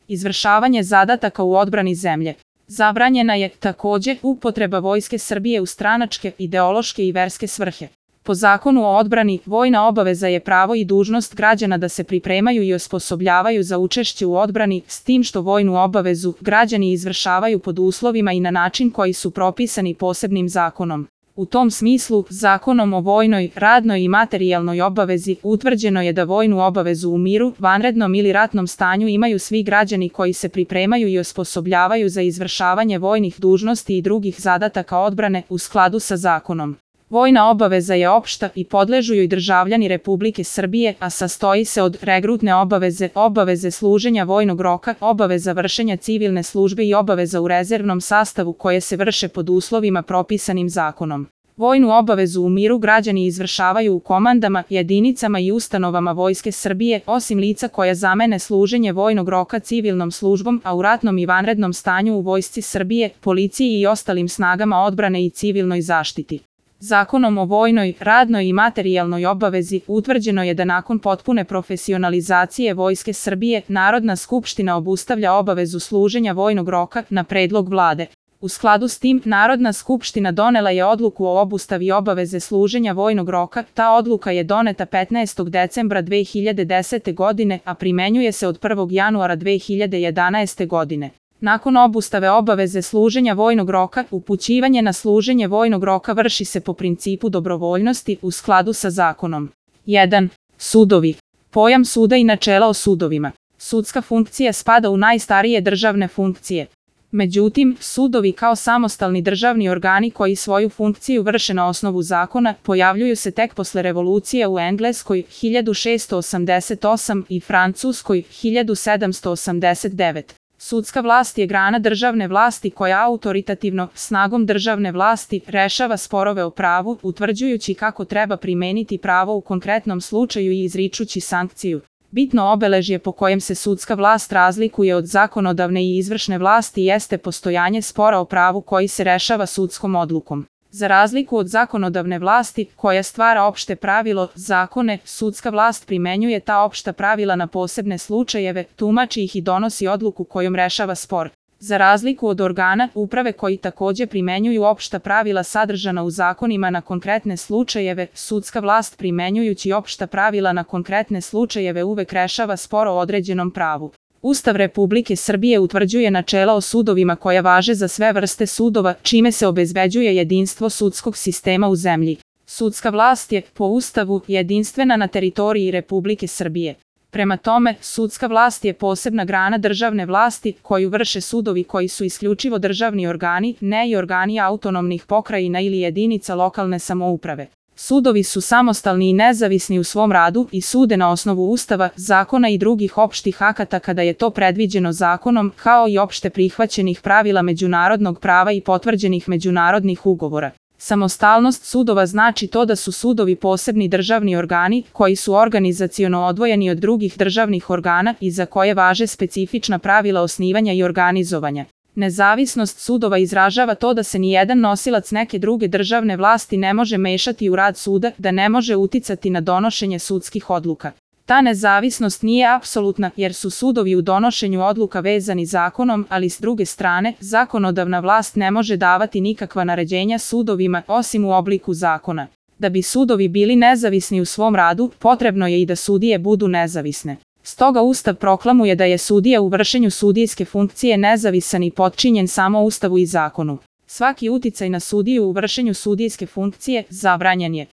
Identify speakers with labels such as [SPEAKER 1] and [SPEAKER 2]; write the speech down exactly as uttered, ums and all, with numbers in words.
[SPEAKER 1] Izvršavanje zadataka u odbrani zemlje. Zabranjena je, takođe, upotreba Vojske Srbije u stranačke, ideološke i verske svrhe. Po Zakonu o odbrani, vojna obaveza je pravo i dužnost građana da se pripremaju i osposobljavaju za učešće u odbrani, s tim što vojnu obavezu građani izvršavaju pod uslovima i na način koji su propisani posebnim zakonom. U tom smislu, Zakonom o vojnoj, radnoj i materijalnoj obavezi utvrđeno je da vojnu obavezu u miru, vanrednom ili ratnom stanju imaju svi građani koji se pripremaju i osposobljavaju za izvršavanje vojnih dužnosti i drugih zadataka odbrane u skladu sa zakonom. Vojna obaveza je opšta i podležu joj državljani Republike Srbije, a sastoji se od regrutne obaveze, obaveze služenja vojnog roka, obaveza vršenja civilne službe i obaveza u rezervnom sastavu koje se vrše pod uslovima propisanim zakonom. Vojnu obavezu u miru građani izvršavaju u komandama, jedinicama i ustanovama Vojske Srbije, osim lica koja zamene služenje vojnog roka civilnom službom, a u ratnom i vanrednom stanju u Vojsci Srbije, policiji i ostalim snagama odbrane i civilnoj zaštiti. Zakonom o vojnoj, radnoj i materijalnoj obavezi utvrđeno je da nakon potpune profesionalizacije Vojske Srbije, Narodna skupština obustavlja obavezu služenja vojnog roka na predlog vlade. U skladu s tim, Narodna skupština donela je odluku o obustavi obaveze služenja vojnog roka. Ta odluka je doneta petnaestog decembra dve hiljade desete godine, a primenjuje se od prvog januara dve hiljade jedanaeste godine. Nakon obustave obaveze služenja vojnog roka, upućivanje na služenje vojnog roka vrši se po principu dobrovoljnosti u skladu sa zakonom. jedan. Sudovi. Pojam suda i načela o sudovima. Sudska funkcija spada u najstarije državne funkcije. Međutim, sudovi kao samostalni državni organi koji svoju funkciju vrše na osnovu zakona, pojavljuju se tek posle revolucije u Engleskoj hiljadu šessto osamdeset osam i Francuskoj hiljadu sedamsto osamdeset devet. Sudska vlast je grana državne vlasti koja autoritativno, snagom državne vlasti, rešava sporove o pravu, utvrđujući kako treba primeniti pravo u konkretnom slučaju i izričući sankciju. Bitno obeležje po kojem se sudska vlast razlikuje od zakonodavne i izvršne vlasti jeste postojanje spora o pravu koji se rešava sudskom odlukom. Za razliku od zakonodavne vlasti, koja stvara opšte pravilo, zakone, sudska vlast primenjuje ta opšta pravila na posebne slučajeve, tumači ih i donosi odluku kojom rešava spor. Za razliku od organa uprave koji takođe primenjuju opšta pravila sadržana u zakonima na konkretne slučajeve, sudska vlast primenjujući opšta pravila na konkretne slučajeve uvek rešava spor o određenom pravu. Ustav Republike Srbije utvrđuje načela o sudovima koja važe za sve vrste sudova, čime se obezbeđuje jedinstvo sudskog sistema u zemlji. Sudska vlast je, po Ustavu, jedinstvena na teritoriji Republike Srbije. Prema tome, sudska vlast je posebna grana državne vlasti koju vrše sudovi koji su isključivo državni organi, ne i organi autonomnih pokrajina ili jedinica lokalne samouprave. Sudovi su samostalni i nezavisni u svom radu i sude na osnovu Ustava, zakona i drugih opštih akata kada je to predviđeno zakonom, kao i opšte prihvaćenih pravila međunarodnog prava i potvrđenih međunarodnih ugovora. Samostalnost sudova znači to da su sudovi posebni državni organi koji su organizaciono odvojeni od drugih državnih organa i za koje važe specifična pravila osnivanja i organizovanja. Nezavisnost sudova izražava to da se nijedan nosilac neke druge državne vlasti ne može mešati u rad suda, da ne može uticati na donošenje sudskih odluka. Ta nezavisnost nije apsolutna jer su sudovi u donošenju odluka vezani zakonom, ali s druge strane, zakonodavna vlast ne može davati nikakva naređenja sudovima osim u obliku zakona. Da bi sudovi bili nezavisni u svom radu, potrebno je i da sudije budu nezavisne. Stoga Ustav proklamuje da je sudija u vršenju sudijske funkcije nezavisan i potčinjen samo Ustavu i zakonu. Svaki uticaj na sudiju u vršenju sudijske funkcije zabranjen je.